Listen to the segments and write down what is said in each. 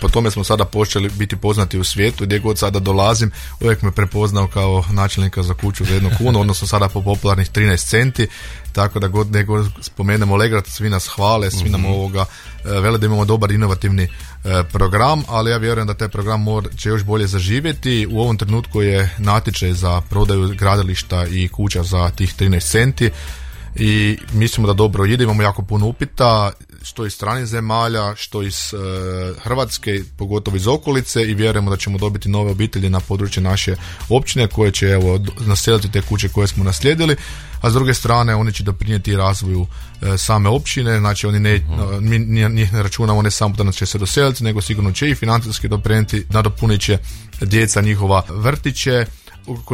po tome smo sada počeli biti poznati u svijetu. Gdje god sada dolazim, uvijek me prepoznao kao načelnika za kuću za 1 kunu, odnosno sada po popularnih 13 centi. Tako da god nego spomenemo Legrad, svi nas hvale, svi nam vele da imamo dobar inovativni program, ali ja vjerujem da taj program će još bolje zaživjeti. U ovom trenutku je natječaj za prodaju gradilišta i kuća za tih 13 centi i mislimo da dobro ide, imamo jako puno upita, što iz stranih zemalja, što iz Hrvatske, pogotovo iz okolice, i vjerujemo da ćemo dobiti nove obitelji na području naše općine koje će naseliti te kuće koje smo naslijedili, a s druge strane oni će doprinijeti razvoju same općine, znači mi njih ne računamo ne samo da će se doseliti, nego sigurno će i financijski doprinijeti, nadopunit će djeca njihova vrtiće,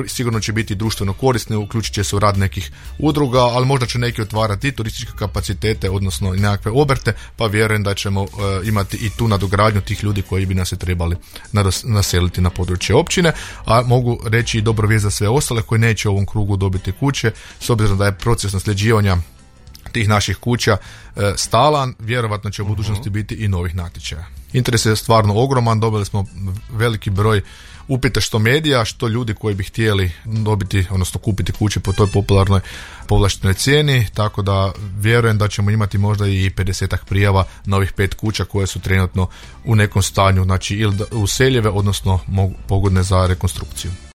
sigurno će biti društveno korisne, uključit će se u rad nekih udruga, ali možda će neki otvarati i turističke kapacitete, odnosno i nekakve obrte, pa vjerujem da ćemo imati i tu nadogradnju tih ljudi koji bi nas se trebali naseliti na područje općine, a mogu reći i dobro vijest za sve ostale koji neće u ovom krugu dobiti kuće, s obzirom da je proces nasljeđivanja tih naših kuća stalan, vjerovatno će u budućnosti biti i novih natječaja. Interes je stvarno ogroman, dobili smo veliki broj upita što medija, što ljudi koji bi htjeli dobiti, odnosno kupiti kuće po toj popularnoj povlaštenoj cijeni, tako da vjerujem da ćemo imati možda i 50-ak prijava na ovih 5 kuća koje su trenutno u nekom stanju, znači ili useljive, odnosno pogodne za rekonstrukciju.